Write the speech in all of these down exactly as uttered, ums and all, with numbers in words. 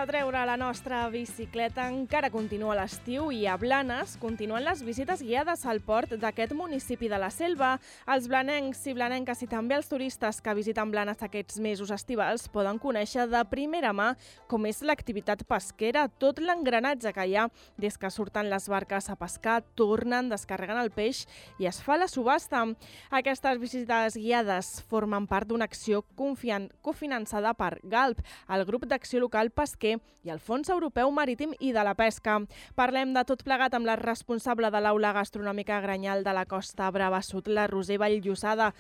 Sense treure la nostra bicicleta encara continua l'estiu i a Blanes continuen les visites guiades al port d'aquest municipi de la Selva. Els blanencs i blanenques i també els turistes que visiten Blanes aquests mesos estivals poden conèixer de primera mà com és l'activitat pesquera, tot l'engranatge que hi ha des que surten les barques a pescar, tornen, descarreguen el peix i es fa la subhasta. Aquestes visites guiades formen part d'una acció cofinançada per GALP, el grup d'acció local pesquer i el Fons Europeu Marítim i de la Pesca. Parlem de tot plegat amb la responsable de l'Aula Gastronòmica Granyal de la Costa Brava Sud, la Roser Valllosada.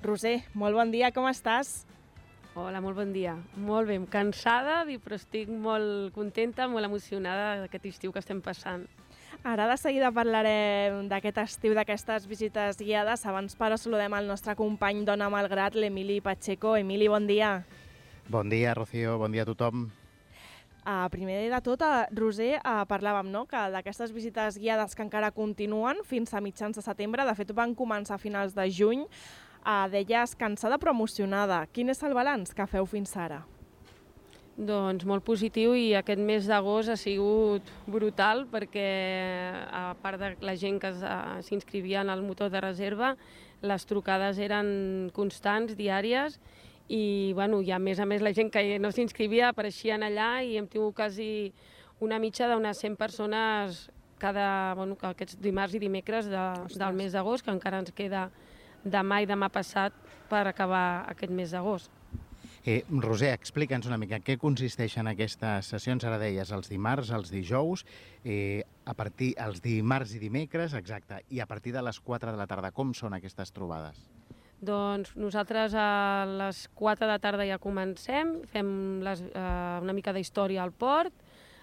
Roser, molt bon dia, com estàs? Hola, molt bon dia. Molt bé, cansada, però estic molt contenta, molt emocionada d'aquest estiu que estem passant. Ara de seguida parlarem d'aquest estiu, d'aquestes visites guiades. Abans, però, saludem el nostre company d'Ona Malgrat, l'Emili Pacheco. Emili, bon dia. Bon dia, Rocío, bon dia a tothom. Uh, primer de tot, uh, Roser, uh, parlàvem no? que d'aquestes visites guiades que encara continuen fins a mitjans de setembre, de fet van començar a finals de juny, uh, deies cansada però emocionada. Quin és el balanç que feu fins ara? Doncs molt positiu, i aquest mes d'agost ha sigut brutal perquè, a part de la gent que s'inscrivia en el motor de reserva, les trucades eren constants, diàries, i bueno, i a més a més la gent que no s'inscrivia apareixien allà i hem tingut quasi una mitja d'unes cent persones cada, bueno, aquests dimarts i dimecres de, del mes d'agost, que encara ens queda demà i demà passat per acabar aquest mes d'agost. Eh, Roser, explica'ns una mica què consisteixen aquestes sessions. Ara deies els dimarts, els dijous, eh, a partir els dimarts i dimecres, exacte, i a partir de les quatre de la tarda. Com són aquestes trobades? Doncs nosaltres a les quatre de la tarda ja comencem, fem les, eh, una mica d'història al port,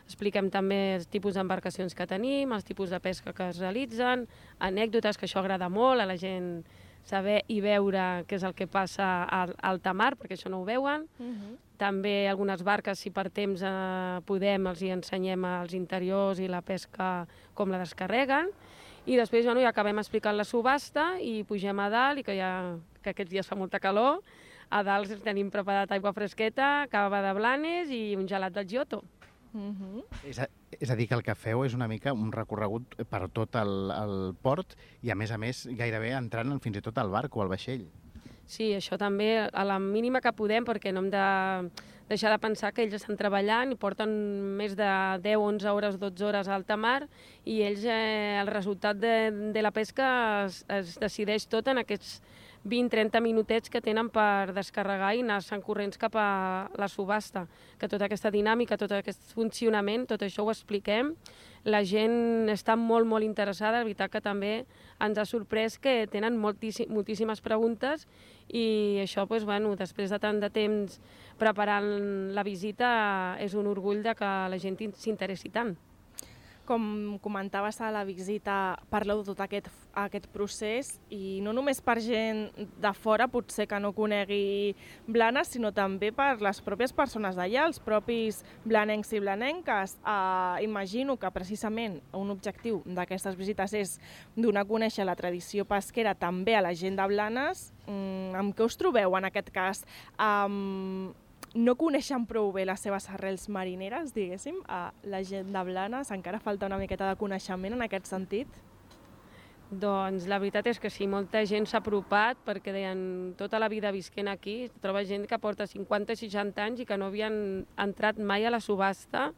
expliquem també els tipus d'embarcacions que tenim, els tipus de pesca que es realitzen, anècdotes, que això agrada molt a la gent saber i veure què és el que passa al alta mar, perquè això no ho veuen. Uh-huh. També algunes barques, si per temps eh, podem, els hi ensenyem els interiors i la pesca com la descarreguen. I després bueno, ja acabem explicant la subhasta i pugem a dalt, i que, ja, que aquests dies fa molta calor. A dalt tenim preparat aigua fresqueta, cava de Blanes i un gelat del Giotto. Uh-huh. És, a, és a dir, que el que feu és una mica un recorregut per tot el, el port i, a més a més, gairebé entrant fins i tot al barco o al vaixell. Sí, això també, a la mínima que podem, perquè no hem de deixar de pensar que ells estan treballant i porten més de deu, onze hores, dotze hores a alta mar, i ells, eh, el resultat de, de la pesca es, es decideix tot en aquests vint trenta minutets que tenen per descarregar i anar-se'n corrents cap a la subhasta. Que tota aquesta dinàmica, tot aquest funcionament, tot això ho expliquem. La gent està molt, molt interessada, la veritat que també ens ha sorprès que tenen moltíssim, moltíssimes preguntes, i això, doncs, bueno, després de tant de temps preparant la visita, és un orgull de que la gent s'interessi tant. Com comentaves a la visita, parleu de tot aquest, aquest procés, i no només per gent de fora, potser que no conegui Blanes, sinó també per les pròpies persones d'allà, els propis blanencs i blanenques. Eh, imagino que precisament un objectiu d'aquestes visites és donar a conèixer la tradició pesquera també a la gent de Blanes. Mm, amb què us trobeu en aquest cas? Um, no coneixen prou bé les seves arrels marineres, diguéssim, a la gent de Blanes? Encara falta una miqueta de coneixement en aquest sentit? Doncs la veritat és que sí, molta gent s'ha apropat, perquè deien tota la vida visquent aquí, troba gent que porta cinquanta seixanta anys i que no havien entrat mai a la subhasta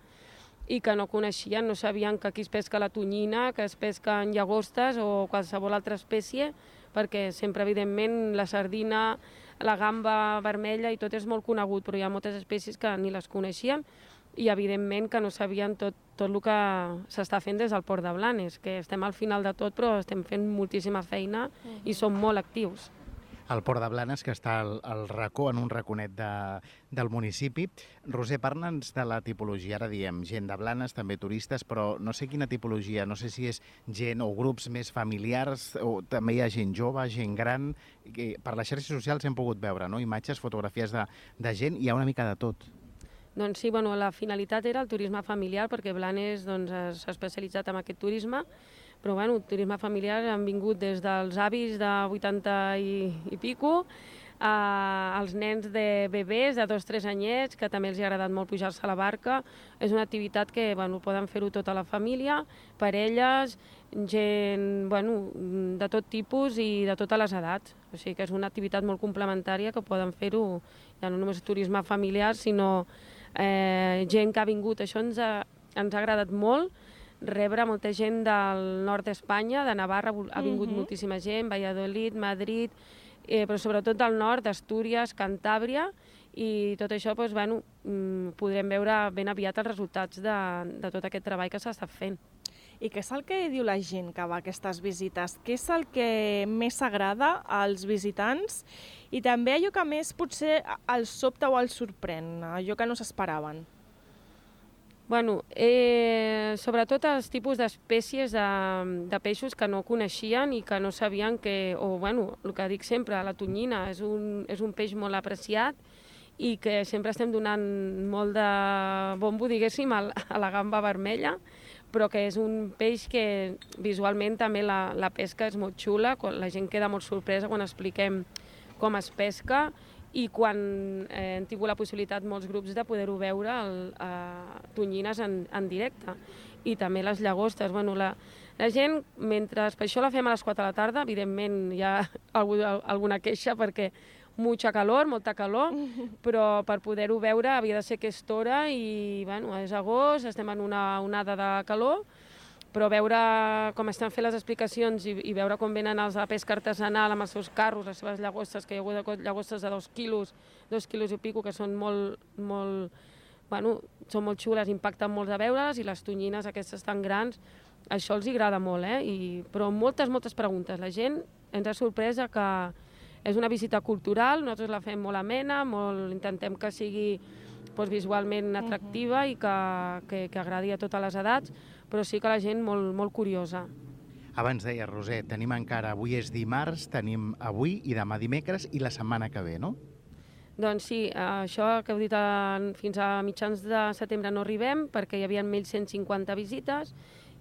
i que no coneixien, no sabien que aquí es pesca la tonyina, que es pesquen llagostes o qualsevol altra espècie, perquè sempre, evidentment, la sardina, la gamba vermella i tot és molt conegut, però hi ha moltes espècies que ni les coneixien, i evidentment que no sabien tot, tot el que s'està fent des del port de Blanes, que estem al final de tot, però estem fent moltíssima feina uh-huh. i som molt actius. El port de Blanes, que està al, al racó, en un raconet de, del municipi. Roser, parla'ns de la tipologia. Ara diem gent de Blanes, també turistes, però no sé quina tipologia, no sé si és gent o grups més familiars, o també hi ha gent jove, gent gran. Per les xarxes socials hem pogut veure, no?, imatges, fotografies de, de gent, hi ha una mica de tot. Doncs sí, bueno, la finalitat era el turisme familiar, perquè Blanes doncs, s'ha especialitzat en aquest turisme, però bueno, turisme familiar han vingut des dels avis de vuitanta i, i pico, Uh, els nens de bebès de dos o tres anyets, que també els ha agradat molt pujar-se a la barca. És una activitat que bueno, poden fer-ho tota la família, parelles, gent bueno, de tot tipus i de totes les edats. O sigui que és una activitat molt complementària que poden fer-ho, ja no només turisme familiar, sinó eh, gent que ha vingut. Això ens ha, ens ha agradat molt, rebre molta gent del nord d'Espanya, de Navarra, ha vingut uh-huh. moltíssima gent, Valladolid, Madrid, Eh, però sobretot del nord, d'Astúries, Cantàbria, i tot això doncs, bueno, podrem veure ben aviat els resultats de, de tot aquest treball que s'ha estat fent. I què és el que diu la gent que va a aquestes visites? Què és el que més agrada als visitants? I també allò que més potser els sobta o els sorprèn, allò que no s'esperaven? Bueno, eh, sobretot els tipus d'espècies de, de peixos que no coneixien i que no sabien que, o bueno, el que dic sempre, la tonyina és un, és un peix molt apreciat i que sempre estem donant molt de bombo, diguéssim, a la gamba vermella, però que és un peix que visualment també la, la pesca és molt xula, la gent queda molt sorpresa quan expliquem com es pesca, i quan eh, hem tingut la possibilitat molts grups de poder-ho veure el, eh, tonyines en, en directe. I també les llagostes. Bueno, la, la gent, mentre per això la fem a les quatre de la tarda, evidentment hi ha algú, alguna queixa perquè mucha calor, molta calor, però per poder-ho veure havia de ser aquesta hora i bueno, és agost, estem en una onada de calor, però veure com estan fent les explicacions i, i veure com venen els de pesca artesanal amb els seus carros, les seves llagostes, que hi ha hagut llagostes de dos quilos, dos quilos i pico, que són molt, molt, bueno, són molt xules, impacten molt de veure-les, i les tonyines aquestes tan grans, això els agrada molt, eh? I, però moltes, moltes preguntes. La gent ens ha sorpresa que és una visita cultural, nosaltres la fem molt amena, molt, intentem que sigui doncs, visualment atractiva i que, que, que agradi a totes les edats, però sí que la gent molt, molt curiosa. Abans deia, Roser, tenim encara, avui és dimarts, tenim avui i demà dimecres i la setmana que ve, no? Doncs sí, això que heu dit, fins a mitjans de setembre no arribem perquè hi havia mil cent cinquanta visites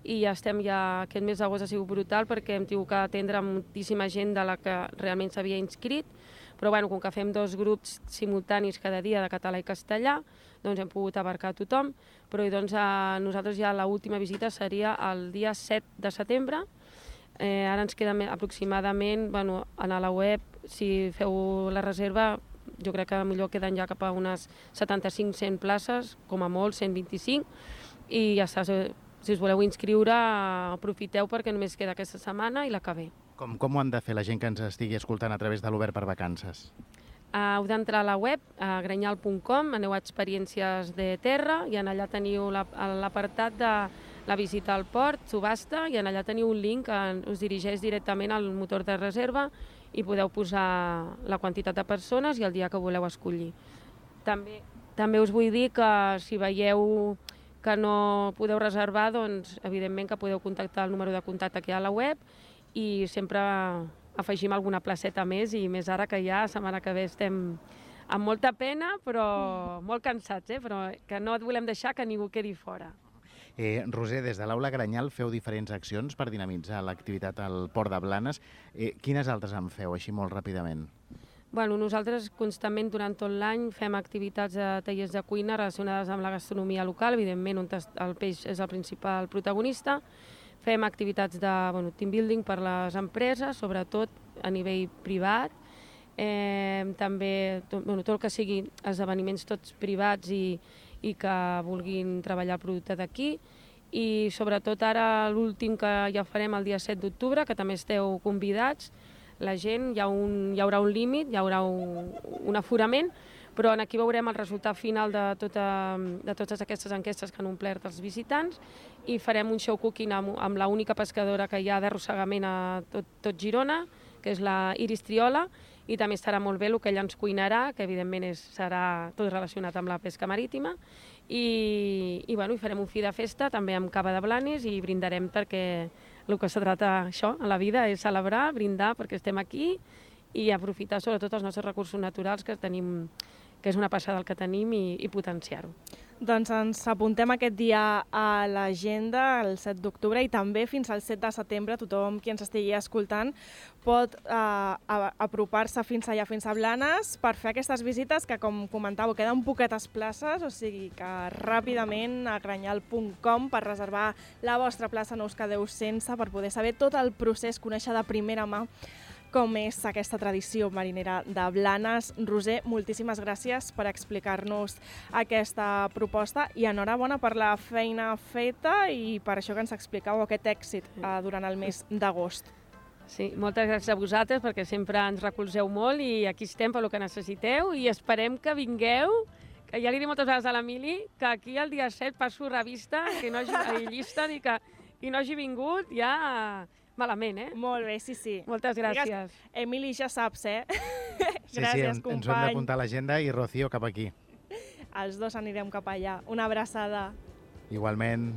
i ja estem ja, aquest mes d'agost ha sigut brutal perquè hem tingut que atendre moltíssima gent de la que realment s'havia inscrit, però bueno, com que fem dos grups simultanis cada dia de català i castellà, doncs hem pogut abarcar tothom, però doncs, a nosaltres ja l'última visita seria el dia set de setembre. Eh, ara ens queda aproximadament, bueno, a la web, si feu la reserva, jo crec que millor queden ja cap a unes setanta-cinc cent places, com a molt cent vint-i-cinc, i ja està, si us voleu inscriure, aprofiteu perquè només queda aquesta setmana i la que ve. Com, com ho han de fer la gent que ens estigui escoltant a través de l'Obert per Vacances? Uh, heu d'entrar a la web, a grenyal punt com, aneu a experiències de terra i en allà teniu l'apartat de la visita al port, subhasta, i en allà teniu un link que us dirigeix directament al motor de reserva i podeu posar la quantitat de persones i el dia que voleu escollir. També, també us vull dir que si veieu que no podeu reservar, doncs evidentment que podeu contactar el número de contacte que hi ha a la web i sempre afegim alguna placeta més, i més ara que ja, la setmana que ve estem amb molta pena, però molt cansats, eh? Però que no et volem deixar que ningú quedi fora. Eh, Roser, des de l'Aula Granyal feu diferents accions per dinamitzar l'activitat al Port de Blanes. Eh, quines altres en feu, així molt ràpidament? Bueno, nosaltres constantment durant tot l'any fem activitats de tallers de cuina relacionades amb la gastronomia local, evidentment on el peix és el principal protagonista. Fem activitats de bueno, team building per les empreses, sobretot a nivell privat. Eh, també tot, bueno, tot el que sigui esdeveniments tots privats i, i que vulguin treballar el producte d'aquí. I sobretot ara l'últim que ja farem el dia set d'octubre, que també esteu convidats, la gent, hi, ha un, hi haurà un límit, hi haurà un, un aforament, però aquí veurem el resultat final de, tota, de totes aquestes enquestes que han omplert els visitants i farem un show cooking amb, amb l'única pescadora que hi ha d'arrossegament a tot, tot Girona, que és la Iris Triola, i també estarà molt bé el que ella ens cuinarà, que evidentment és, serà tot relacionat amb la pesca marítima, i, i, bueno, i farem un fi de festa també amb cava de Blanes i brindarem perquè el que se trata això a la vida és celebrar, brindar perquè estem aquí i aprofitar sobretot els nostres recursos naturals que tenim que és una passada el que tenim, i, i potenciar-ho. Doncs ens apuntem aquest dia a l'agenda, el set d'octubre, i també fins al set de setembre tothom qui ens estigui escoltant pot eh, apropar-se fins allà, fins a Blanes, per fer aquestes visites que, com comentàveu, queden poquetes places, o sigui que ràpidament a granyal punt com per reservar la vostra plaça no us quedeu sense, per poder saber tot el procés, conèixer de primera mà com és aquesta tradició marinera de Blanes. Roser, moltíssimes gràcies per explicar-nos aquesta proposta i enhorabona per la feina feta i per això que ens expliqueu aquest èxit eh, durant el mes d'agost. Sí, moltes gràcies a vosaltres perquè sempre ens recolzeu molt i aquí estem per lo que necessiteu i esperem que vingueu, que ja li dic moltes vegades a l'Emili, que aquí el dia set passo revista, que no hagi llista, i que qui no hagi vingut ja... malament, eh? Molt bé, sí, sí. Moltes gràcies. Digues, Emili, ja saps, eh? Sí, gràcies, sí, company. ens ho hem d'apuntar a l'agenda i Rocío cap aquí. Els dos anirem cap allà. Una abraçada. Igualment.